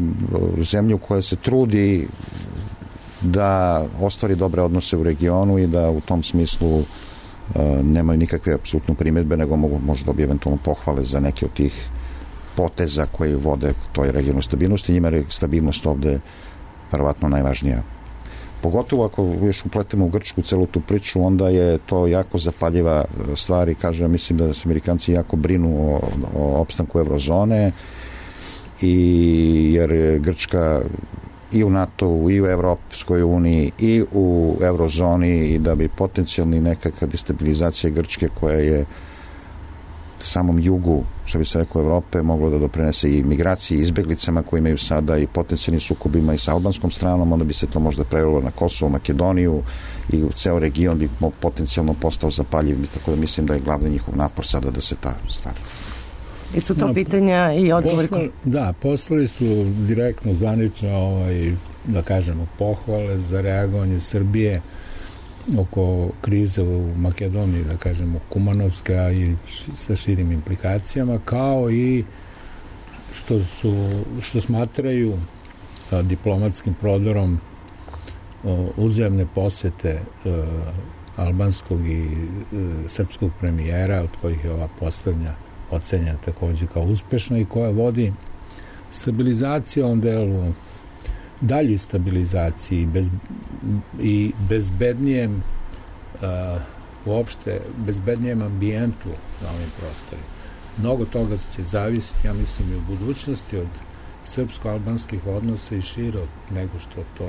zemlju koja se trudi da ostvari dobre odnose u regionu i da u tom smislu uh, nemaju nikakve apsolutno primjedbe, nego mogu možda dobiti eventualno pohvale za neke od tih poteza koji vode toj regionalnoj stabilnosti. Njima je stabilnost ovde verovatno najvažnija. Pogotovo ako još upletemo u Grčku celu tu priču, onda je to jako zapaljiva stvar i kažem, mislim da se Amerikanci jako brinu o, o opstanku eurozone i jer Grčka i u NATO-u, i u Evropskoj uniji, i u eurozoni i da bi potencijalni nekakva destabilizacija Grčke koja je samom jugu, što bi se rekao, Evrope, moglo da doprinese i migraciji, i izbeglicama koje imaju sada i potencijalnim sukobima i sa albanskom stranom, onda bi se to možda prelilo na Kosovo, Makedoniju i u ceo region bi potencijalno postao zapaljiv, tako da mislim da je glavni njihov napor sada da se ta stvar.
I su to no, pitanja i odgovori?
Posla, da, poslali su direktno zvanično, ovaj, da kažemo, pohvale za reagovanje Srbije oko krize u Makedoniji, da kažemo, Kumanovska i sa širim implikacijama, kao i što su, što smatraju a, diplomatskim prodorom a, uzajamne posete a, albanskog i a, srpskog premijera, od kojih je ova poslednja ocenjena takođe kao uspešna i koja vodi stabilizaciju u ovom delu, daljoj stabilizaciji bez, i bezbednijem uh, uopšte bezbednijem ambijentu na ovim prostorima. Mnogo toga će zavisiti, ja mislim, i u budućnosti od srpsko-albanskih odnosa i šire nego što to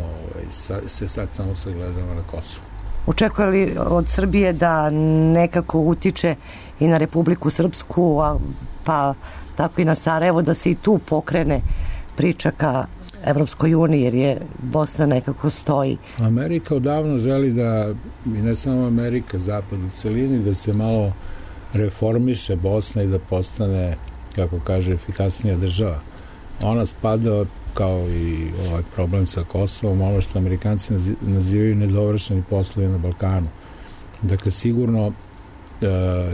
ovaj, sa, se sad samo sagledava na Kosovu.
Očekuje li od Srbije da nekako utiče i na Republiku Srpsku, a, pa tako i na Sarajevo, da se i tu pokrene priča ka Evropskoj uniji, jer je Bosna nekako stoji?
Amerika odavno želi da, i ne samo Amerika, Zapad u celini, da se malo reformiše Bosna i da postane, kako kaže, efikasnija država. Ona spada, kao i ovaj problem sa Kosovom, ono što Amerikanci nazivaju nedovršeni poslovi na Balkanu. Dakle, sigurno uh,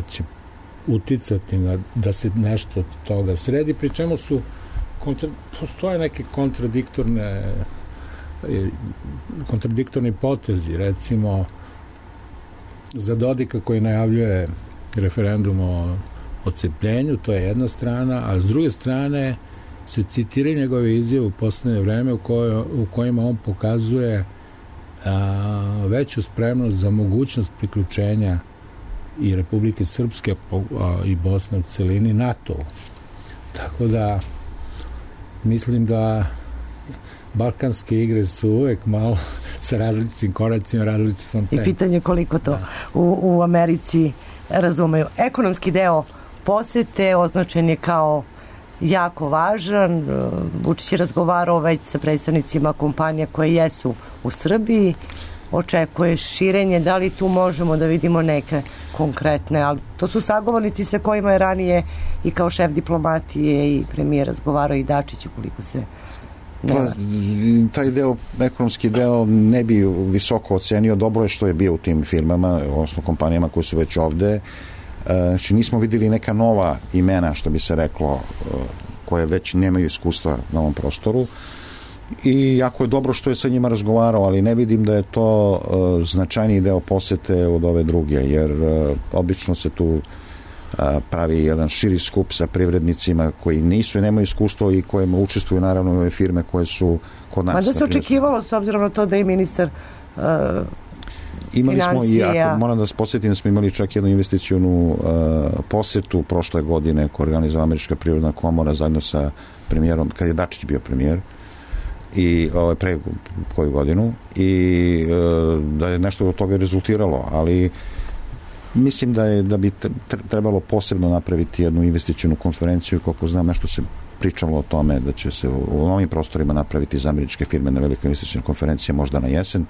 će uticati na, da se nešto od toga sredi, pri čemu su kontra, postoje neke kontradiktorne kontradiktorni potezi, recimo za Dodika koji najavljuje referendum o odcepljenju, to je jedna strana, a s druge strane se citira njegove izjave u poslednje vreme u, kojoj, u kojima on pokazuje a, veću spremnost za mogućnost priključenja i Republike Srpske a, i Bosne u celini NATO. Tako da mislim da balkanske igre su uvek malo sa različitim koracima, različitom temom.
I pitanje koliko to u, u Americi razumeju. Ekonomski deo posete označen je kao jako važan. Vučić je razgovarao već sa predstavnicima kompanija koje jesu u Srbiji očekuje širenje, da li tu možemo da vidimo neke konkretne, ali to su sagovornici sa kojima je ranije i kao šef diplomatije i premijer razgovarao i Dačić, ukoliko se ne
pa, taj deo, ekonomski deo ne bi visoko ocenio. Dobro je što je bio u tim firmama, odnosno kompanijama koje su već ovde. Znači nismo videli neka nova imena, što bi se reklo, koje već nemaju iskustva na ovom prostoru. I jako je dobro što je sa njima razgovarao, ali ne vidim da je to uh, značajniji deo posete od ove druge, jer uh, obično se tu uh, pravi jedan širi skup sa privrednicima koji nisu i nemaju iskustvo i kojima učestvuju naravno ove firme koje su kod nas.
Ma da se očekivalo s obzirom na to da je ministar uh,
Imali smo i,
financija.
ako moram da se podsjetim, da smo imali čak jednu investicionu uh, posetu prošle godine koju organizova Američka privredna komora zajedno sa premijerom, kad je Dačić bio premijer, i ovaj, pre koju godinu, i e, da je nešto od toga rezultiralo, ali mislim da je da bi trebalo posebno napraviti jednu investicionu konferenciju. Koliko znam, nešto se pričalo o tome da će se u novim prostorima napraviti za američke firme na velika investiciona konferencija možda na jesen.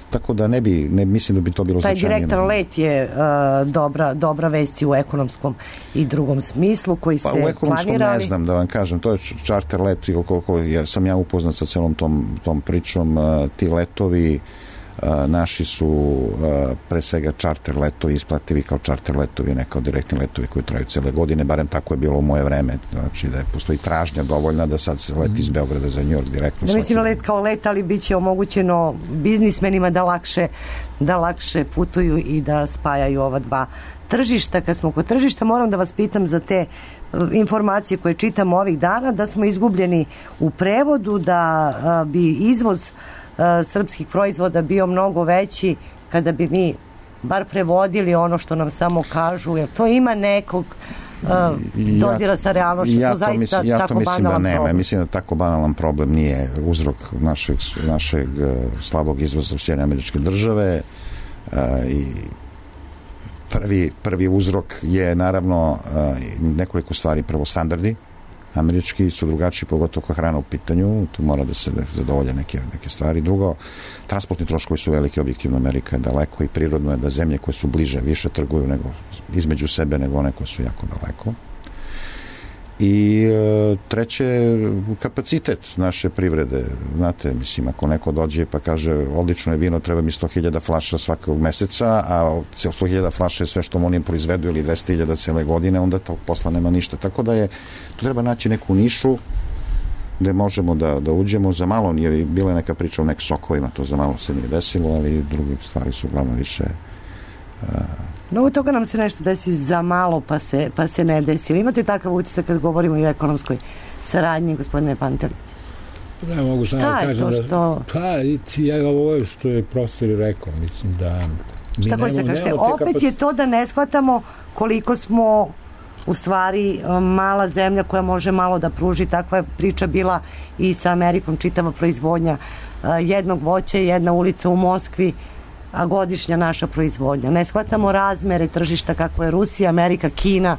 Tako da ne bi, ne mislim da bi to bilo
taj
značajnije.
direktan let je uh, dobra, dobra vest i u ekonomskom i drugom smislu koji se
pa, u ekonomskom
planirali.
Ne znam da vam kažem, to je čarter let, koliko ja, sam ja upoznat sa celom tom, tom pričom, uh, ti letovi uh, naši su uh, pre svega čarter letovi isplativi kao čarter letovi, ne kao direktni letovi koji traju cele godine, barem tako je bilo u moje vreme, znači da je postoji tražnja dovoljna da sad se leti iz Beograda za New York direktno.
Da mislim let kao let, ali bit će omogućeno biznismenima da lakše, da lakše putuju i da spajaju ova dva tržišta. Kad smo kod tržišta, moram da vas pitam za te informacije koje čitamo ovih dana, da smo izgubljeni u prevodu, da a, bi izvoz a, srpskih proizvoda bio mnogo veći kada bi mi bar prevodili ono što nam samo kažu, jer to ima nekog uh, dodira sa realnošću.
Ja
to, zaista
mislim, ja to mislim da nema.
Problem.
Mislim da tako banalan problem nije uzrok našeg, našeg uh, slabog izvoza u Sjedinjene Američke Države uh, i prvi, prvi uzrok je naravno uh, nekoliko stvari. Prvo, standardi američki su drugačiji, pogotovo kao hrana u pitanju, tu mora da se zadovolje neke, neke stvari. Drugo, transportni troškovi su veliki, objektivno Amerika je daleko i prirodno je da zemlje koje su bliže više trguju nego, između sebe nego one koje su jako daleko. I e, treće, kapacitet naše privrede. Znate, mislim, ako neko dođe pa kaže odlično je vino, treba mi sto hiljada flaša svakog meseca, a sto hiljada flaša je sve što oni proizvedu ili dvesta hiljada cele godine, onda to posla nema ništa. Tako da je, tu treba naći neku nišu gde možemo da, da uđemo. Za malo nije bila neka priča o nek sokovima, to za malo se nije desilo, ali druge stvari su uglavnom više... Uh,
Mnogo toga nam se nešto desi za malo pa se, pa se ne desi. Imate takav utisak kad govorimo i o ekonomskoj saradnji, gospodine Pantelić?
Ne mogu samo da kažem
to što...
da... Pa, ja ovo je što je profesor rekao, mislim da... Mi
Šta hoćete kažete? Opet kapac... je to da ne shvatamo koliko smo u stvari mala zemlja koja može malo da pruži. Takva je priča bila i sa Amerikom, čitava proizvodnja jednog voća, jedna ulica u Moskvi, a godišnja naša proizvodnja. Ne shvatamo razmere tržišta kako je Rusija, Amerika, Kina.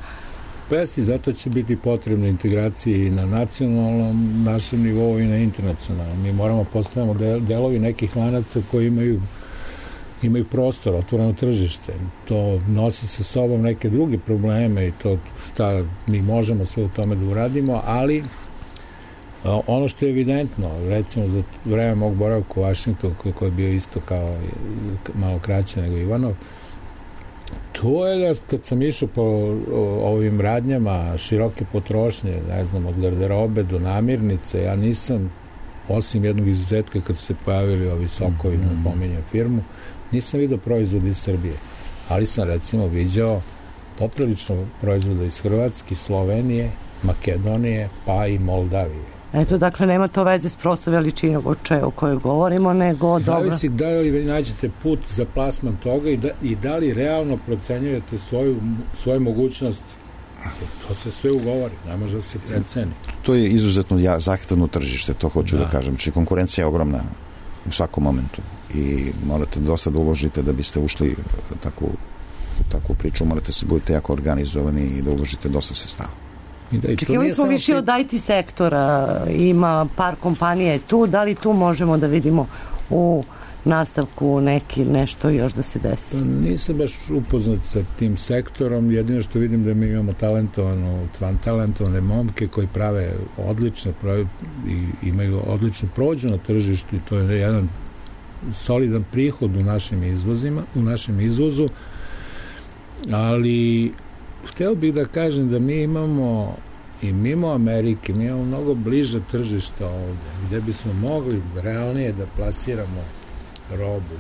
Pesti, zato će biti potrebna integracija i na nacionalnom našem nivou i na internacionalnom. Mi moramo postavljamo delovi nekih lanaca koji imaju imaju prostor, otvoreno tržište. To nosi sa sobom neke druge probleme i to šta mi možemo sve u tome da uradimo, ali ono što je evidentno, recimo za vreme mog boravka u Vašingtonu, koji je bio isto kao malo kraće nego Ivanov, to je da kad sam išao po ovim radnjama široke potrošnje, ne znam, od garderobe do namirnice, ja nisam, osim jednog izuzetka kad su se pojavili ovi sokovi, mm-hmm. napominjam firmu, nisam vidio proizvode iz Srbije, ali sam recimo viđao poprilično proizvoda iz Hrvatske, Slovenije, Makedonije, pa i Moldavije.
Eto, dakle, nema to veze s prosto veličinom o kojoj govorimo, nego dobro.
Zavisi da li nađete put za plasman toga i da, i da li realno procenjujete svoju, svoju mogućnost. To se sve ugovori, ne može da se preceni.
To je izuzetno ja, zahtevno tržište, to hoću da, da kažem. Či konkurencija je ogromna u svakom momentu i morate dosta da uložite da biste ušli takvu, takvu priču, morate se budete jako organizovani i da uložite dosta sredstava.
Čekivali smo više od I T sektora, ima par kompanija tu, da li tu možemo da vidimo u nastavku neki, nešto još da se desi?
Nisam baš upoznat sa tim sektorom, jedino što vidim da mi imamo talentovano, talentovane momke koji prave odlične prave i imaju odličnu prođu na tržištu i to je jedan solidan prihod u našim izvozima, u našem izvozu, ali hteo bih da kažem da mi imamo i mimo Amerike, mi imamo mnogo bliže tržišta ovde, gde bismo mogli realnije da plasiramo robu.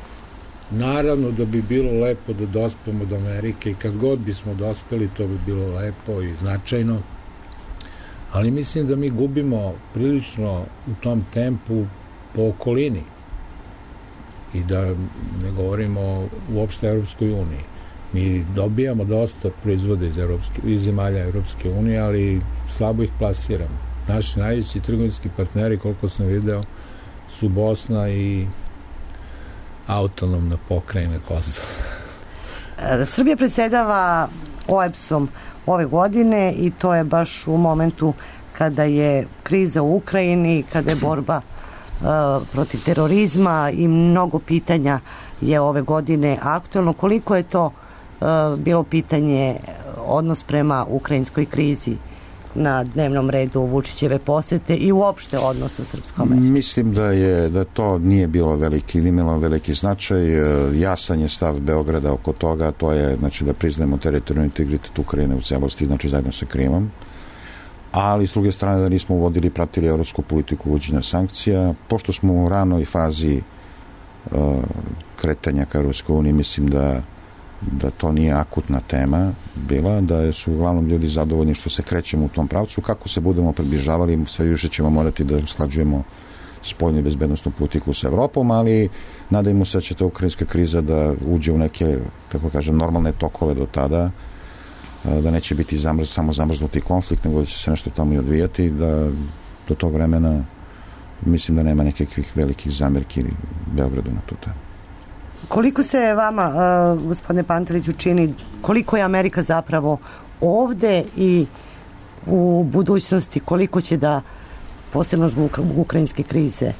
Naravno da bi bilo lepo da dospemo do Amerike i kad god bismo dospeli, to bi bilo lepo i značajno, ali mislim da mi gubimo prilično u tom tempu po okolini i da ne govorimo uopšte Evropskoj uniji. Mi dobijamo dosta proizvoda iz, Evropske, iz zemalja Evropske unije, ali slabo ih plasiramo. Naši najveći trgovinski partneri, koliko sam video, su Bosna i autonomna pokrajina Kosova.
Srbija predsedava O E B S-om ove godine i to je baš u momentu kada je kriza u Ukrajini, kada je borba uh, protiv terorizma i mnogo pitanja je ove godine aktuelno. Koliko je to uh, bilo pitanje odnos prema ukrajinskoj krizi na dnevnom redu Vučićeve posete i uopšte odnos sa Srpskom?
Mislim da je da to nije bilo veliki, nije imalo veliki značaj. Jasan je stav Beograda oko toga, to je znači da priznajemo teritorijalni integritet Ukrajine u celosti, znači zajedno sa Krimom, ali s druge strane da nismo uvodili, pratili evropsku politiku uvođenja sankcija. Pošto smo u ranoj fazi uh, kretanja ka Evropskoj uniji, mislim da da to nije akutna tema bila, da su uglavnom ljudi zadovoljni što se krećemo u tom pravcu. Kako se budemo približavali, sve više ćemo morati da usklađujemo spoljnu i bezbednostnu politiku sa Evropom, ali nadajmo se da će ta ukrajinska kriza da uđe u neke, tako kažem, normalne tokove do tada, da neće biti zamrz, samo zamrznuti konflikt, nego da će se nešto tamo i odvijati, da do tog vremena mislim da nema nekakvih velikih zamerki Beogradu na tu temu.
Koliko se vama, uh, gospodine Panteliću, čini, koliko je Amerika zapravo ovde i u budućnosti, koliko će da, posebno zbog ukrajinske krize,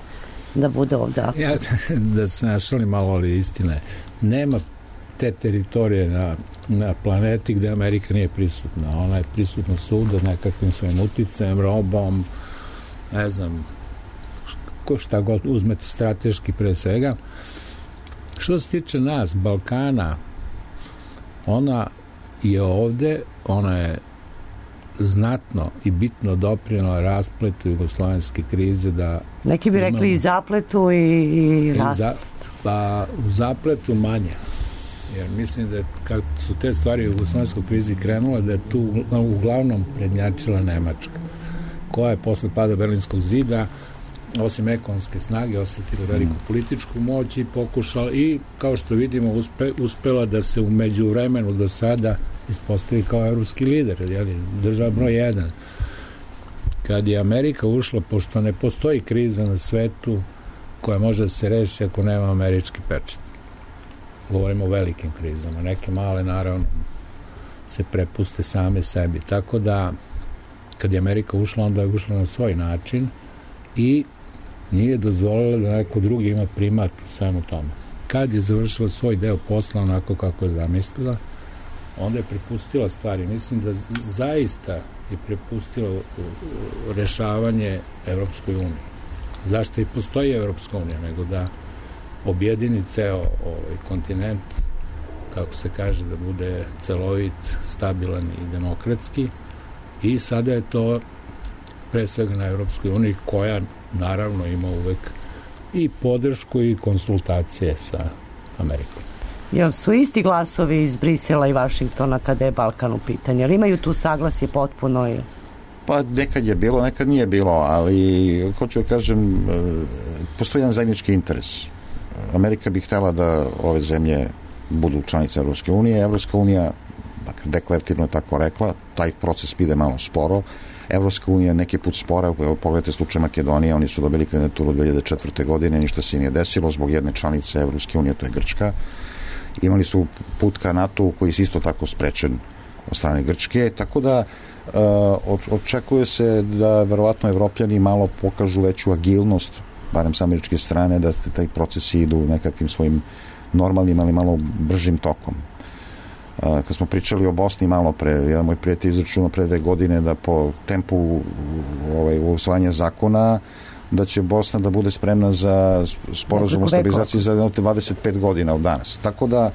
da bude ovde?
Ja da se našalim malo, ali istine, nema te teritorije na, na planeti gde Amerika nije prisutna. Ona je prisutna svuda nekakvim svojim uticajem, robom, ne znam, ko šta god uzmete strateški pre svega. Što se tiče nas, Balkana, ona je ovde, ona je znatno i bitno doprinela raspletu jugoslovenske krize. Da
neki bi rekli imamo, i zapletu i, i raspletu. Za,
pa u zapletu manje. Jer mislim da kad su te stvari u jugoslovenskoj krizi krenule, da je tu uglavnom prednjačila Nemačka, koja je posle pada Berlinskog zida osim ekonomske snage osjetila veliku političku moć i pokušala i kao što vidimo uspe, uspela da se u međuvremenu do sada ispostavi kao evropski lider, jeli, država broj jedan. Kad je Amerika ušla, pošto ne postoji kriza na svetu koja može da se reši ako nema američki pečat. Govorimo o velikim krizama, neke male naravno se prepuste same sebi, tako da kad je Amerika ušla, onda je ušla na svoj način i nije dozvolila da neko drugi ima primat u svemu tome. Kad je završila svoj deo posla onako kako je zamislila, onda je prepustila stvari. Mislim da zaista je prepustila rešavanje Evropskoj uniji. Zašto i postoji Evropska unija, nego da objedini ceo ovaj kontinent, kako se kaže, da bude celovit, stabilan i demokratski. I sada je to pre svega na Evropskoj uniji, koja naravno ima uvek i podršku i konsultacije sa Amerikom.
Jel su isti glasovi iz Brisela i Vašingtona kada je Balkan u pitanju? Jel imaju tu saglasje potpuno? Ili?
Pa nekad je bilo, nekad nije bilo, ali hoću da kažem, postoji jedan zajednički interes. Amerika bi htela da ove zemlje budu članice Evropske unije. Evropska unija, dakle, deklarativno je tako rekla, taj proces ide malo sporo. Evropska unija neki put spora, evo pogledajte slučaj Makedonije, oni su dobili kandidaturu dve hiljade četvrte. godine, ništa se nije desilo zbog jedne članice Evropske unije, to je Grčka. Imali su put ka NATO koji je isto tako sprečen od strane Grčke, tako da uh, očekuje se da verovatno Evropljani malo pokažu veću agilnost barem sa američke strane, da taj procesi idu nekakvim svojim normalnim, ali malo bržim tokom. Kad smo pričali o Bosni malo pre, jedan moj prijatelj izračunao pre dve godine da po tempu ovaj, usvajanja zakona da će Bosna da bude spremna za sporazum o stabilizaciji za dvadeset pet godina od danas. Tako da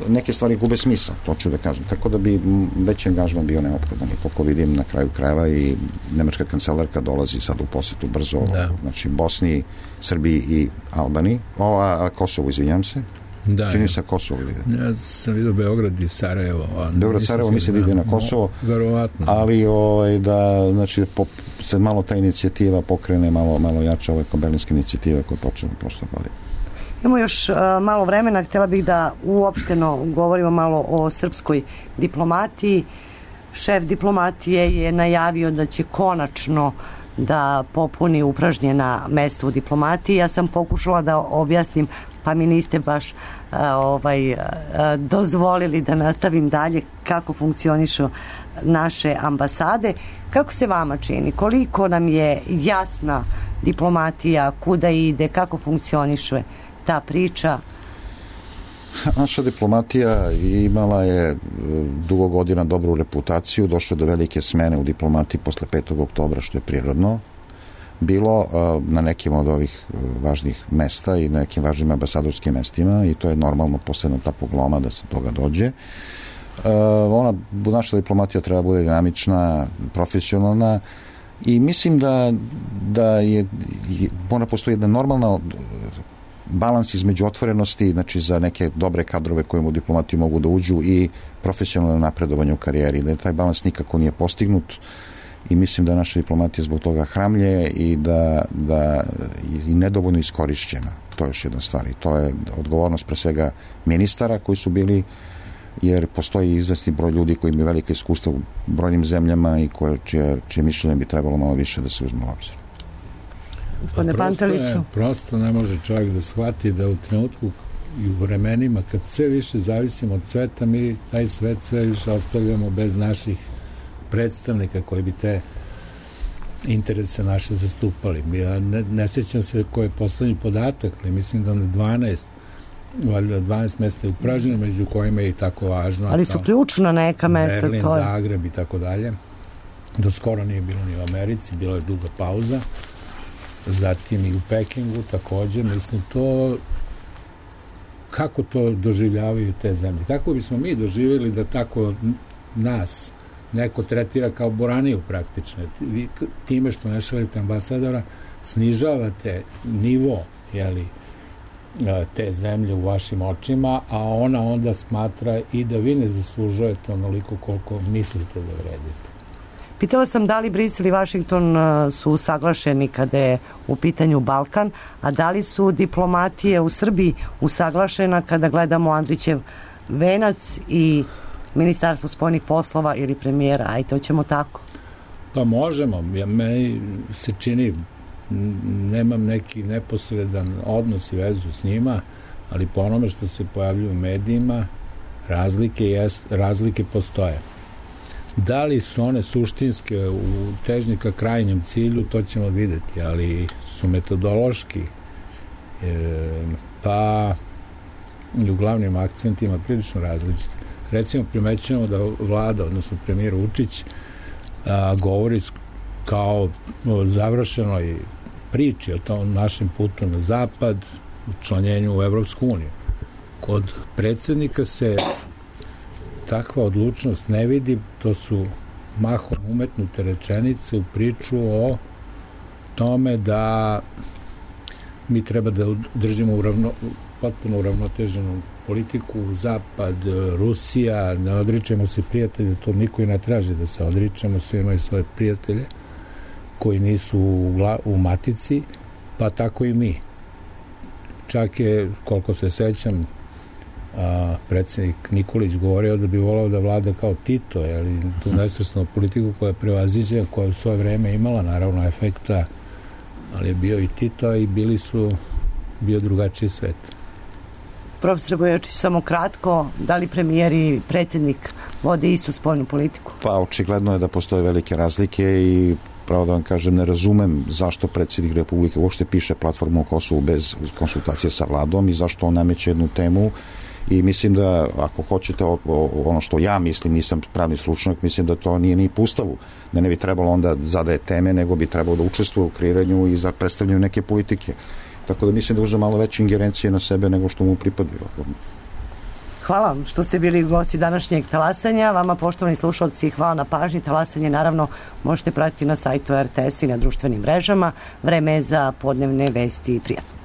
neke stvari gube smisla, to ću da kažem. Tako da bi veći angažman bio neophodan. I koliko vidim na kraju krajeva i nemačka kancelarka dolazi sad u posetu brzo, da. Znači Bosni, Srbiji i Albaniji, o, a, a Kosovo, izvinjam se. Da, čini se Kosovo ili
ja sam vidio Beograd i Sarajevo.
Beograd, Sarajevo misli da ide na Kosovo,
verovatno.
Ali ovaj, da znači, po, se malo ta inicijativa pokrene, malo, malo jača ove berlinske inicijative koje počne prošle godine.
Imamo još uh, malo vremena, htjela bih da uopšteno govorimo malo o srpskoj diplomatiji. Šef diplomatije je najavio da će konačno da popuni upražnjena mesta u diplomatiji. Ja sam pokušala da objasnim, pa mi niste baš uh, ovaj, uh, dozvolili da nastavim dalje kako funkcionišu naše ambasade. Kako se vama čini? Koliko nam je jasna diplomatija, kuda ide, kako funkcioniše ta priča?
Naša diplomatija imala je dugo godina dobru reputaciju, došlo do velike smene u diplomatiji posle petog oktobra, što je prirodno bilo na nekim od ovih važnih mesta i na nekim važnim ambasadorskim mestima i to je normalno posle jednog takvog loma da se toga dođe. Ona, naša diplomatija treba bude dinamična, profesionalna i mislim da, da je, ona postoji jedna normalna balans između otvorenosti, znači za neke dobre kadrove koje u diplomatiju mogu da uđu i profesionalno napredovanje u karijeri, da taj balans nikako nije postignut i mislim da naša diplomatija zbog toga hramlje i da, da je nedovoljno iskorišćena. To je još jedna stvar i to je odgovornost pre svega ministara koji su bili, jer postoji izvesni broj ljudi koji imaju velike iskustva u brojnim zemljama i koje, čije, čije mišljenje bi trebalo malo više da se uzme u obzir.
Gospodine Panteliću.
Prosto ne može čovjek da shvati da u trenutku i u vremenima kad sve više zavisimo od sveta, mi taj svet sve više ostavljamo bez naših predstavnika koji bi te interese naše zastupali. Ja ne, ne sjećam se koji je poslednji podatak, ali mislim da na dvanaest valjda dvanaest mesta je upražnjeno, među kojima je i tako važno.
Ali su ključna neka mesta.
Berlin,
to je.
Zagreb i tako dalje. Do skoro nije bilo ni u Americi, bila je duga pauza. Zatim i u Pekingu također, mislim to kako to doživljavaju te zemlje, kako bismo mi doživjeli da tako nas neko tretira kao boraniju praktično, vi time što ne šaljete ambasadora snižavate nivo, jeli, te zemlje u vašim očima, a ona onda smatra i da vi ne zaslužujete onoliko koliko mislite da vredite.
Pitala sam da li Brisel i Vašington su usaglašeni kada je u pitanju Balkan, a da li su diplomatije u Srbiji usaglašena kada gledamo Andrićev venac i Ministarstvo spoljnih poslova ili premijera, ajde, hoćemo tako?
Pa možemo, ja, meni se čini, nemam neki neposredan odnos i vezu s njima, ali po onome što se pojavljuje u medijima, razlike, jest, razlike postoje. Da li su one suštinske u težnji ka krajnjem cilju, to ćemo vidjeti, ali su metodološki e, pa i u glavnim akcentima prilično različiti. Recimo, primećujemo da vlada, odnosno premijer Vučić, a, govori kao o završenoj priči o tom našem putu na zapad, učlanjenju u Evropsku uniju. Kod predsjednika se takva odlučnost ne vidi, to su mahom umetnute rečenice u priču o tome da mi treba da držimo uravno, potpuno uravnoteženu politiku, Zapad, Rusija, ne odričemo se prijatelje, to niko i ne traži da se odričemo, svi imaju svoje prijatelje koji nisu u, u matici, pa tako i mi. Čak je, koliko se sećam, a, predsjednik Nikolić govorio da bi volao da vlada kao Tito, ali tu nesvrstanu politiku koja je prevaziđe, koja je u svoje vreme imala naravno efekta, ali je bio i Tito i bili su bio drugačiji svet.
Profesor Bojačić, samo kratko, da li premijer i predsjednik vode istu spoljnu politiku?
Pa očigledno je da postoje velike razlike i pravo da vam kažem, ne razumem zašto predsjednik Republike uopšte piše platformu o Kosovu bez konsultacije sa vladom i zašto on nameće jednu temu. I mislim da, ako hoćete, o, o, ono što ja mislim, nisam pravni stručnjak, mislim da to nije ni po Ustavu, da ne bi trebalo onda zadaje teme, nego bi trebalo da učestvuje u kreiranju i za predstavljanju neke politike. Tako da mislim da uzme malo veće ingerencije na sebe nego što mu pripadaju.
Hvala vam što ste bili gosti današnjeg talasanja. Vama, poštovani slušalci, hvala na pažnji. Talasanje naravno možete pratiti na sajtu R T S i na društvenim mrežama. Vreme je za podnevne vesti. Prijatno.